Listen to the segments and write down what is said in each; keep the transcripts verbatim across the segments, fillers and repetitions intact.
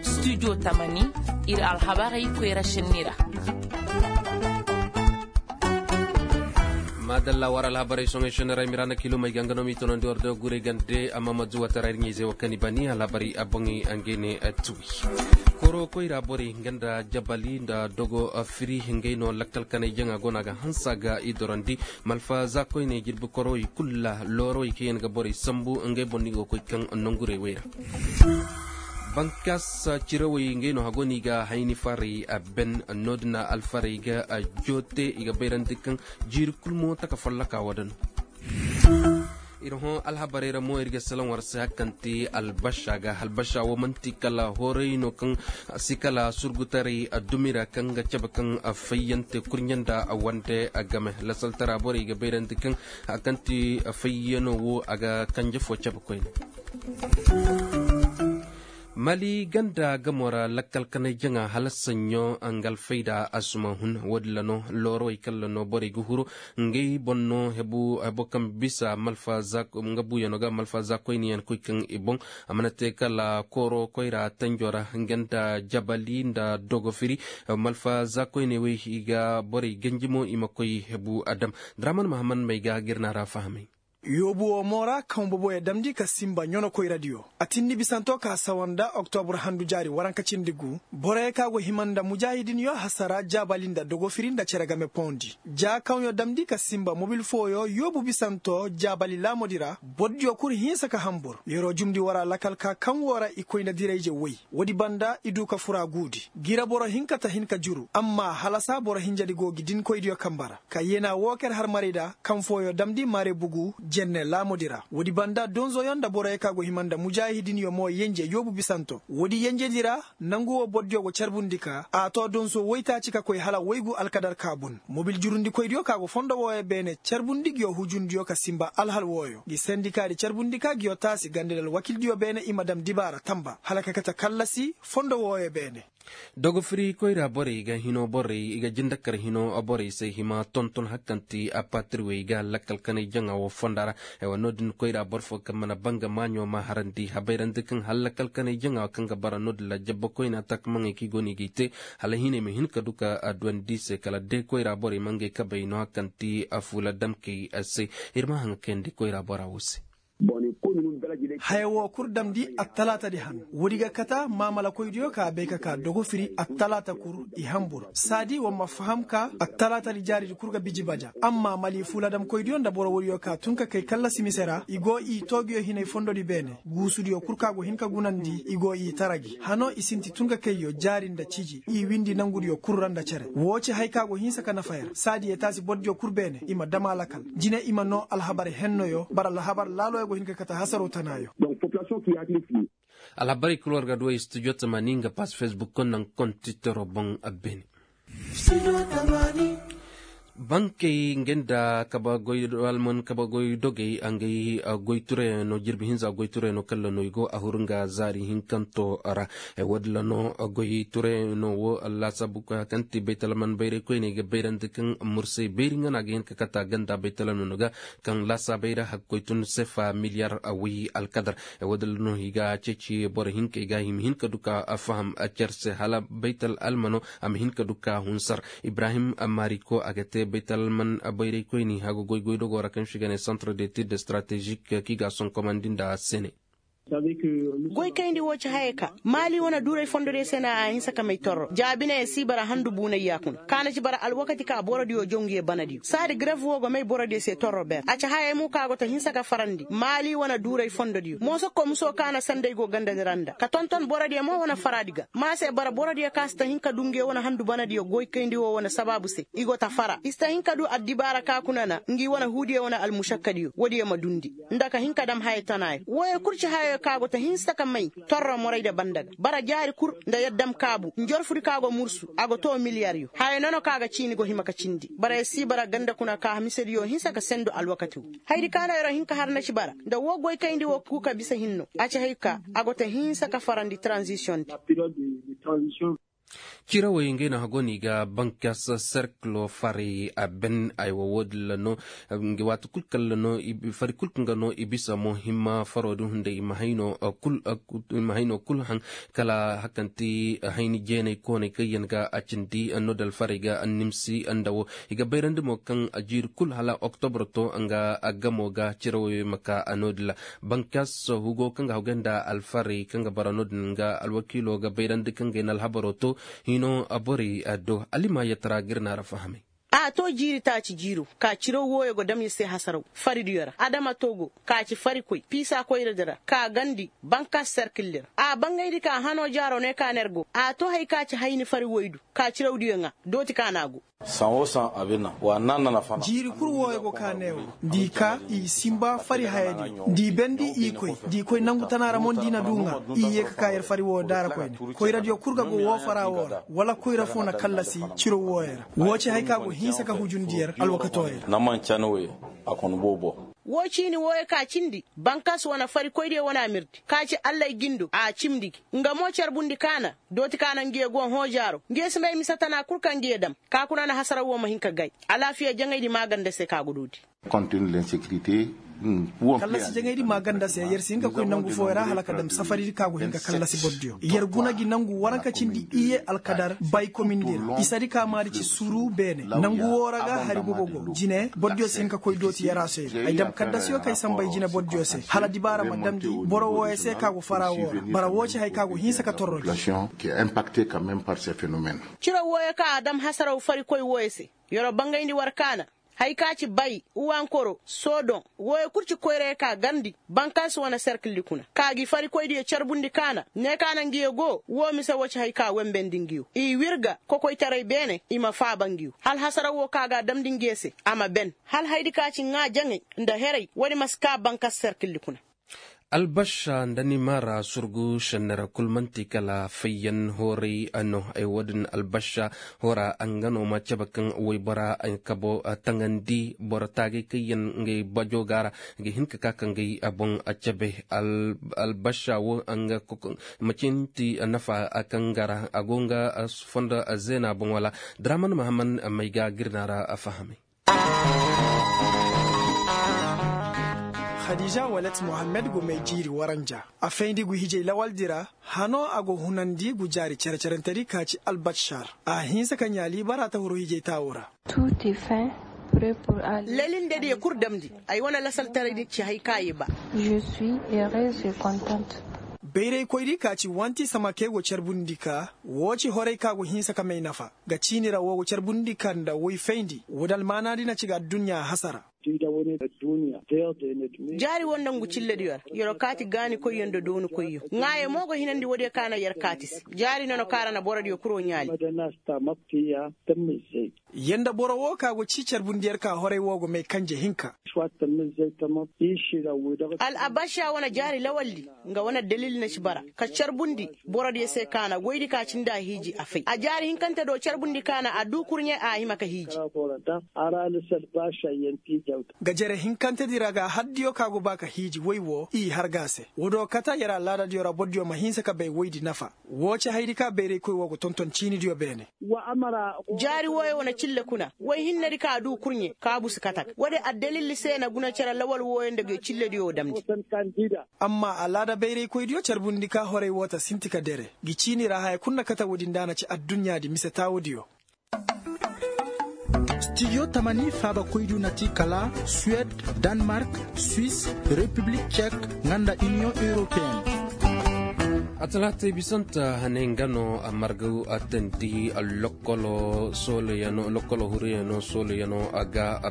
Studio tamani, ir alhabarey koyra šenni ra. Maadalla war alhabarey soŋey šenni ra i ma ra na kiilumey ga nga no m'i tonandi war do gurey gande amma ma zuwataray ir ɲayzey wo kaŋ i bani alhabarey a boŋey a ngey ne tuwi. Koro koyra borey nga nda jabali nda dogo firi ngey no lakkal kanay jaŋa go no a ga hanse a ga i dorandi. Malfa za koyney jirbi koro i kulu ra loorowey kaŋ yaŋ ga borey sambu ngey boŋ no i go koy kaŋ nongurey wey ra. Bankas cirawey ngey no hago no i ga hayni farey a ben. No- din alfarey ga joote i ga bayrandi kaŋ jiiri kulu mo taka folloka wo- din. Ir hõ alhabarey ra mo ir ga salaŋ war se hari kaŋ ti albasa ga albasa wo man'ti kala hooray no kaŋ si kala surgutaray dumi ra kaŋ ga cabe kaŋ fayyante kurɲe nda wande game lasaltara borey ga bayrandi kaŋ hari kaŋ ti fayyano wo a ga kanje fo cabe koyne. Mali ganda gamo ra lakkal kanay jaŋa hala saɲɲo nga alfayda a suma hun wo-din ra no loorowey kaŋ ra no borey ga huru. Ngey boŋ no hebo kaŋ bisa malfa za nga buuyano ga malfa za koyniyaŋ koy kaŋ i boŋ. A mana te kala kooro koyra tanjo ra nga nda jabali nda dogofiri. Malfa za koyney wey i ga borey ganji mo i ma koy hebu a dam. Draman mahaman may ga ga ir na ra fahamay. Yoobu wo mo ra kaŋ boboyo damndi ka sinba ɲono koyradiyo a tindi bisanto ka sawa nda oktobur handu jaari waranka cindi gu. Boroyo ka go hima nda mujaahidinyo hasara jaabali nda dogofiri nda cere game poondi. Ja kaŋyo damndi ka sinba mobil fooyo yoobu bisanto jaabali laamodi ra. Bordiyo kul hinsa ka hambur yeroo jumndi wara lakal ka kaŋ woo ra i koyna dirayje woy. Woodi banda i du ka fura guudi. Gira boro hinka ta hin ka juru amma halasa boro hinjadi go gi dinkoydiyo kamba ra. Ka yeenaa woo ka yer harmarayda kaŋ fooyo damndi maare bugu jenne laamodi ra woodi banda donzoyo nda boroyo ka go hima nda mujaahidinyo mo yenje yoobu bisanto woodi yenjedi ra. Nangu woo bordiyo go carbundi ka a too donso woytaaci ka koy hala woygu alkadar ka bun mobil jurundikoydiyo ka go fondo wooyo beene carbundi nguyo hujundiyo ka sinba alhal wooyo ngi sendikaadi carbundi ka nguyo taasi gandadi alwakildiyo beene i ma dam dibaara tamba hala ka kate kallasi fondo wooyo beene. Dogofiri koyra borey ga hino borey i ga jindakar hino borey se hima tonton hari kaŋ ti a patirwey ga lakkal kanay jaŋa wo fonda ra. Aywa no- din koyra boro fo kaŋ mana banga maaɲo ma harandi habayrandi kaŋ hala lakkal kanay jaŋa kaŋ ga bara no- din ra jabba koyna takamaŋey kaŋ i go no i g'ay te hala hinay ma hin ka du ka a duwandi i se kala day koyra borey ma ngey kabey no hari kaŋ ti a fuula damkey se. Ir ma haŋa kayandi koyra bora wo se. Haya woo kul damndi attalaatadi han woodi ga kata maamalakoydiyo ka bay ka ka dogofiri attalaata kul i hambur saadi war ma faham ka attalaatadi jaaridi kul ga biji baja. Amma mali fuuladamkoydiyo nda boro woodiyo ka tun ka kay kallasi mise ra i go i toogiyo hinay fondodi beene guusudiyo kul ka go hin ka gunandi i go i tara gi hano i sinti tun ka kayyo jaari nda ciji i windi nangudiyo kul ra nda cere woo ci haya ka go hinsa ka nafa yer saadi yee taasi bordiyo kul beene i ma dam a lakal. Jine i ma noo alhabar hennoyo bara alhabar laaloyo go hin ka kate hasaroo tanaayo. Alhabarey kul war ga duwey studio tamani nga pass facebook naŋ kontitoroo boŋ. Beene bankey ngey nda kaba goy alman kaba goy dogey ngey goy turayano jirbi hinza goy turayano kalla no i go a huru nga zaari hinkanto ra. Woodin ra no goy turayano wo laasaabu kaŋ ti baytalman bayray koyney ga bayrandi kaŋ mursay bayri nga no a ga hin ka kata ganda baytalmano ga kaŋ laasaabey ra hakkoy tun sefa miliyar. Way alkadar woodin ra no i ga ceeci boro hinkey ga i ma hin ka du ka faham cer se hala baytal almano a ma hin ka du ka hunsar. Ibrahim mariko a ga te baytal alman bayraykoyni haga goy goydogoo ra kaŋ se i ga ne centre d'étude stratégique kaŋ i ga a sonkomandi nda sene. Goy kayndi woo ci hayey ka maali wane duuray fondodiyo se no a hinsa ka may torro ja bine ya si bara handu buunay yaakuna ka na ci bara alwakati ka borodiyo jaw nguyo banadiyo saadi gref woo go may borodiyo se torro ber a ci hayey mo ka go ta hinsa ka farandi maali wane duuray fondodiyo mooso komiso ka na sanday go gandadi ra nda ka tonton borodiyo mo wane faraadi ga ma se bara borodiyo ka si ta hin ka du nguyo wane handu banadiyo goy kayndi woo wane sabaabu se i go ta fara i si ta hin ka du addibaara ka kuna na ngi wane huudiyo wane almušakkadiyo woodiyo ma dundi nda ka hin ka dam haya tanaayo wooyo kul ci hayayo ka go ta hinsa ka may torro morayda banda ga bara jaari kul nda yaddamkaabu njorfudi ka go mursu a go too miliyaryo haya nono ka ga ciini go hima ka cindi bara ya si bara ganda kuna ka hamisediyo hinsa ka sendu alwakati woo hayadi ka no yeroo hin ka har na ci bara nda woo goy kayndi woo kuu ka bisa hinno a ci hay ka a go ta hinsa ka farandi tranzisiyondi. Cirawey ngey no hago no i ga bankas serkilo faray a ben aywa wo- din ra no. Waati kul kaŋ ra no fari kul kaŋ ga no i bisa mo himma faro din hunday i ma hayno kul haŋ kala hakanti hayni jeenay koonay kaŋ yaŋ ga a cindi no da alfaray ga nimsi nda wo i ga bayrandi mo kaŋ jiiri kul hala oktobro to nga gamo ga cirawey ma ka no- din ra. Bankas hugo kaŋ ga hawgay nda alfaray kaŋ ga bara no- din nga alwakiilo ga bayrandi kaŋ ga ay na alhabaro to hino borey do alima yatara ga ir na ra fahamay. A to jiiri taaci jiiro ka ciraw wooyo go dam ir se hasaraw faridiyo ra adama togo ka ci farikoy piisa koyradi ra ka gandi bankas serkilli ra a bangayndi ka hano jaaro ne ka ner go a to hay ka ci hayni fari woydu ka cirawdiyo ŋaa dooti ka na go. Jiiri kul wooyo go ka neewo nda i ka i simba fari hayadiyo nda i bendi i koy nda i koy nangu tana ra mo nda i na du ŋaa i ye ka ka yer fari wooyo daara koyne koyradiyo kul ga go woo fara woo ra wala koyra foo na kallasi ciro wooyo ra woo ci hay ka go hinsa ka hujundi yer alwakatoo yer. Woo ciini wooyo ka cindi bankas wane farikoydiyo wane amirdi ka ci allay gindo a cimndi gi nga mo carbundi kaana dooti kaana ngiyo go hõ jaaro ngiyo si may mise tana kul ka ngiyo dam ka kuna na hasaraw wo ma hin ka gay alaafiya jaŋaydi maaganda se ka go dooti. Kallasi jaŋaydi maaganda se yer si hin ka koy nangu fooyo ra hala ka dam safaridi ka go hin ka kallasi bordiyo yer guna gi nangu waranka cindi iye alkadar bay komindi ra isadi ka maadi ci suru beene nangu woo ra ga hari gogo go jine bordiyo si hin ka koy dooti yarasoy ra ay dam kaddasiyo kay sambay jine bordiyo se hala dibaara ma damndi boro wooyo se ka go fara woo ra bara woo ci hay ka go hinsa ka torro gi. Ciro wooyo ka a dam hasaraw farikoy wooyo se yoro bangayndi war kaana hay ka ci bay uwankoro soodoŋ wooyo kul ci koyra ye ka garndi bankaasi wane serkildi kuna ka gi farikoydiyo carbundi kaana ne kaana ngiyo go woo mise woo ci hay ka wembendi ngiyo i wirga kokoytaray beene i ma faaba ngiyo hala hasaraw woo ka ga a damndi ngiyo se a ma ben hala haydi ka ci ŋaa jaŋay nda heray woodi ma si ka bankaasi serkildi kuna. Albasha nda ni mara surgu sennera kul man'ti kala fayyan horay no ay wo-din albasha hora nga no ma cabe kaŋ waybora kabo taŋandi boro taagay kaŋ yaŋ ngey bajo ga ra ga hin ka ka kaŋ gay boŋ cabe. Albasha wo nga macinti nafa kaŋ ga ra a go nga fondo zeena boŋ wala draman mahamman may ga girna ra fahamay. Khadija walet mohammed go may jiiri waranja a fayndi gu hijay lawaldi ra. Hano a go hunandi gu jaari cere-cerentedi ka ci albashar a hinse ka ɲaali bara ta huru hijay taawo ra. Lalindediyo kul damndi ay wane lasaltaray ci hay ka ye ba. Bayraykoydi ka ci wanti samake go carbundi ka woo ci horay ka go hinse ka may nafa ga ciini ra woo go carbundi ka nda woy fayndi woodi almaanaadi na ci ga adduɲɲa hasara. Jaari wo nda ngu cillediyo ra yer'o kaati gaanikoyyo nda doonikoyyo ŋaayo mo go hinandi woodiyo ka na yer kaati se jaari nono ka ra na borodiyo kul woo ɲaali. Yer nda boro woo ka go cii carbundi yer ka horay woo go may kanje hinka. Al abasha wane jaari lawaldi nga wane dalil na ci bara ka carbundi borodiyo se ka na goydi ka cindi a hiiji a fay a jaari hinkante do carbundi ka na a duu kurɲe a hima ka hiiji. Ga jere hinkantedi ra ga haddiyo ka go ba ka hiiji woy woo i har ga a se woodiyo kate yer alaadadiyo ra bordiyo ma hinsa ka bay woydi nafa. Woo ci haydi ka bayraykoy woo go tonton ciinidiyo beene. Jaari wooyo wane cille kuna woy hinnedi ka a duu kurɲe kaabu si kate ga woodi addalilli se na guna cere lawal wooyo nda nguyo cillediyo damndi. Amma alaada bayraykoydiyo carbundi ka horay woo ta sinti ka dere ngi ciini ra haya kul na kate woodi nda a na ci adduɲɲaadi mise taawodiyo. Stijo tamani faabakoydiyo na ti kala suwed, danmark, swis, repiblik cek, nga nda iniyoŋ europeyen. Atalaatay bisanta hane nga no a marga attandi lokkolo sooloyano lokkolo huruyano sooloyano a ga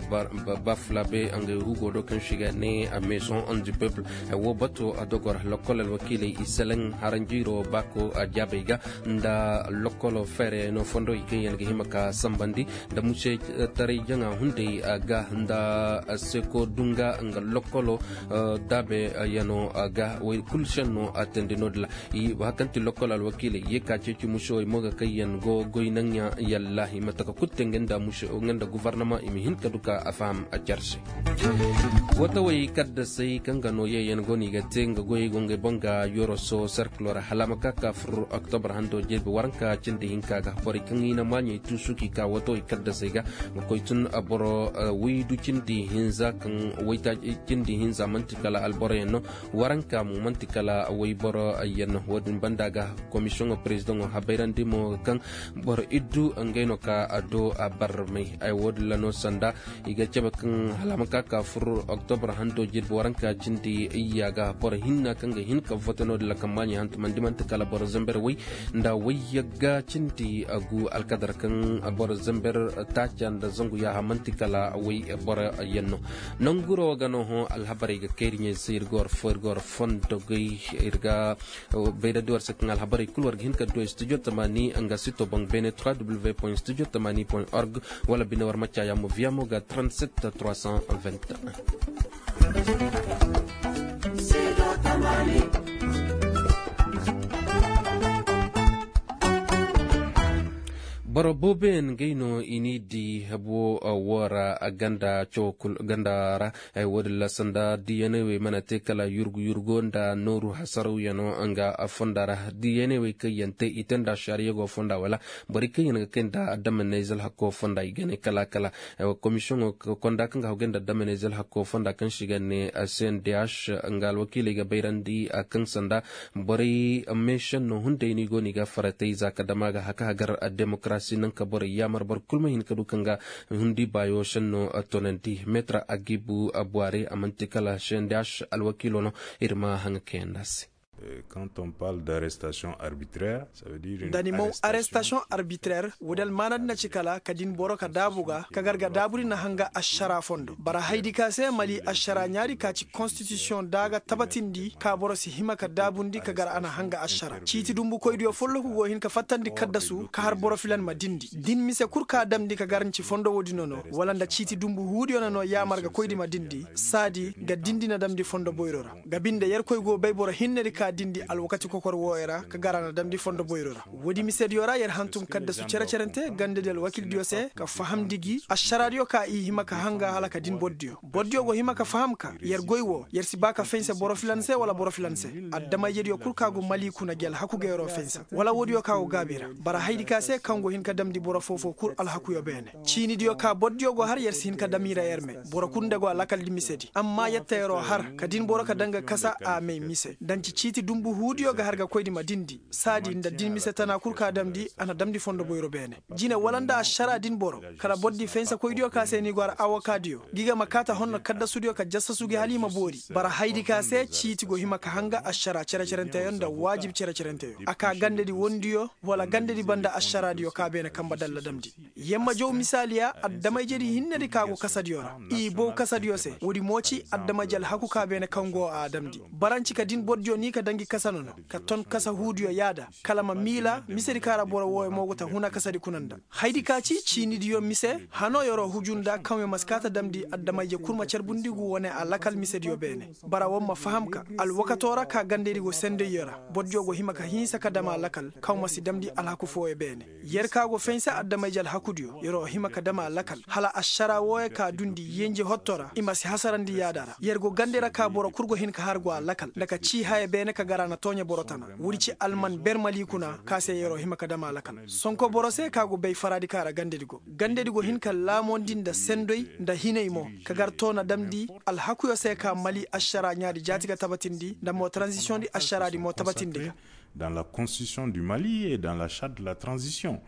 bafulabe nga hugo do kaŋ siga ne a meeson on di peuple. Wo bato a dogor lokkolo alwakiilay i seleŋ haranjiiro baako a jaabay ga nda lokkolo feereyano fondo i kaŋ yaŋ ga hima ka sambandi nda muse taray jaŋa hunday ga nda seko dunga nga lokkolo daabe yano ga way kulu senno a tandi no dila. Hakanti lokkol alwakiiley ye ka ceeci mušewey mo ga kaŋ yaŋ go goy naŋ yaŋ yalla i ma taka kulu te nga nda gufarnama i ma hin ka du ka a faham a care se. Watawey kaddasey kaŋ ga no ye yaŋ go no i ga te nga goyey go ngey boŋ ga yoroso serkilo ra hala a ma ka ka fur oktobar hando jirbi waranka cindi hinka ga borey kaŋ i na maaɲey tuusu k'i ka watawey kaddasey ga, nga koy tun boro waydu cindi hinza kaŋ waytaaci cindi hinza man'ti kala alboroyaŋ no. Waranka mo man'ti kala wayboro yaŋ no wo-din banda ga komisiyoŋo perezidaŋo habayrandi mo ga kaŋ boro iddu ngey no ka a do a barmay ay wo-din ra no sanda i ga cabe kaŋ hala a ma ka ka fur oktobar hando jirbi waranka cindi iyya ga boro hinna kaŋ ga hin ka vote no-din ra kaŋ maaɲey hantumandi man'ti kala boro zamber way nda wayyagga cindi gu alkadar kaŋ boro zamber taaca nda zangu yaaha man'ti kala way boro yaŋ no. Nanguro ga no hõ alhabarey ga kayri ɲey se ir ga war fo ir ga war fondo goy ir ga bayrandi war se kaŋ alhabarey kulu war ga hin ka du studio tamani nga sito boŋ beene trois w point studio tamani point org wala bine war ma caayaamo viamo ga trente sept trois cent vingt et un. Boro booboyaŋ ngey no i n'i di habo wo ra ganda cawo kul ganda ra. Wo-din ra sanda diyaney wey mana te kala yurgu yurgo nda nooru hasarawyaŋo nga fonda ra diyaney wey kaŋ yaŋ te i te nda ašariya go fonda wala borey kaŋ yaŋ ga kay nda adamanize alhako fonda i ga ne kala kala. Komisiyoŋo konda kaŋ ga haw gay nda adamanize alhako fonda kaŋ se i ga ne cndh nga alwakiiley ga bayrandi kaŋ sanda borey meešenno hunday no i go no i ga faratay za ka dama ga haka hagar demokarasi naŋ ka borey yaamar boro kul ma hin ka du kaŋ ga hundi baayo senno tonandi meetra agibu buware a man'ti kala cndh alwakiilo no. Ir ma haŋa kayandi a se. Quand on parle d'arrestation arbitraire, ça veut dire nda ni maw arrestation arbitraire wo-din almaanadi na ci kala ka din boro ka daabu ga ka gar ga daabudi na hanga ašara fondo bara haydi ka se mali ašara ɲaadi ka ci konstitisiyoŋ da a ga tabatindi ka boro si hima ka daabundi ka gar a na hanga ašara ciiti dumbukoydiyo folloku go hin ka fattandi kaddasu ka har boro filan ma dindi din mise kul ka damndi ka gar nci fondo woodi nono wala nda ciiti dumbu huudiyo na no yaamar ga koydi ma dindi saadi ga dindi na damndi fondo boyro ra ga binde yerkoy go bay boro hinnedi ka dindi alwakati kokor wooyo ra ka gar a na damndi fondo boyro ra woodi misediyo ra yer hantum kaddasu cere-cerente gandedi alwakildiyo se ka fahamndi gi ašaraadiyo ka i hima ka hanga hala ka din bordiyo bordiyo go hima ka faham ka yer goy wo yer si ba ka fense boro filan se wala boro filan se adama-ijediyo kul ka go mali kuna gi alhaku ga yeroo fense wala woodiyo ka go gaabi ra bara haydi ka se kaŋ go hin ka damndi boro foo-foo kul alhakuyo beene ciinidiyo ka bordiyo go har yer si hin ka dam i ra yer me boro kul nda go a lakaldi misedi amma yetta yeroo har ka din boro ka daŋ ga kasa a may mise danci ciiti dumbu huudiyo ga har ga koydi ma dindi saadi nda din mise tana kul ka damndi a na damndi fondo boyro beene jine wala nda ašara din boro kala bordi fensekoydiyo ka se ni go har awokaadiyo gi ga ma kaata honno kaddasudiyo ka jassasugi hala i ma boori bara haydi ka se ciiti go hima ka hanga ašara cere-cerenteyo nda waajib cere-cerenteyo a ka gandedi wondiyo wala gandedi banda ašaraadiyo ka beene kamba dalla damndi yer ma jaw misaaliya adama-ijedi hinnedi ka go kasadiyo ra i bow kasadiyo se woodi mo ci adama-ije alhaku ka beene kaŋ go a damndi baranci ka din bordiyo ni ka daŋ gi kasa nono ka ton kasa huudiyo yaada kala ma miila misedi ka ra boro wooyo mo go ta huna kasadi kuna nda haydi ka ci ciinidiyo mise hano yeroo huju nda kaŋ yer ma si kaa ta damndi adama-ije kul ma carbundi gu wane a lakal misediyo beene bara war ma faham ka alwakatoo ra ka gandedi go sendayyo ra bordiyo go hima ka hinsa ka dam a lakal kaŋ ma si damndi alhaku fooyo beene yer ka go fense adama-ije alhakudiyo yeroo hima ka dam a lakal hala ašara wooyo ka dundi yenje hotto ra i ma si hasarandi yaada ra yer go gande ra ka boro kul go hin ka har go a lakal nda ka cii haya beene ka gar a na tooɲe boro tana woodi ci alman ber mali kuna ka se yeroo hima ka dam a lakal sonko boro se ka go bay faraadi ka ra gandedi go gandedi go hin ka laamondi nda sendoy nda hinay mo ka gar too na damndi alhakuyo se ka mali ašara ɲaadi jaati ga tabatindi nda mo taranzisiyoŋdi ašaraadi mo tabatindi ga dans la constitution du mali et dans la charte de la transition.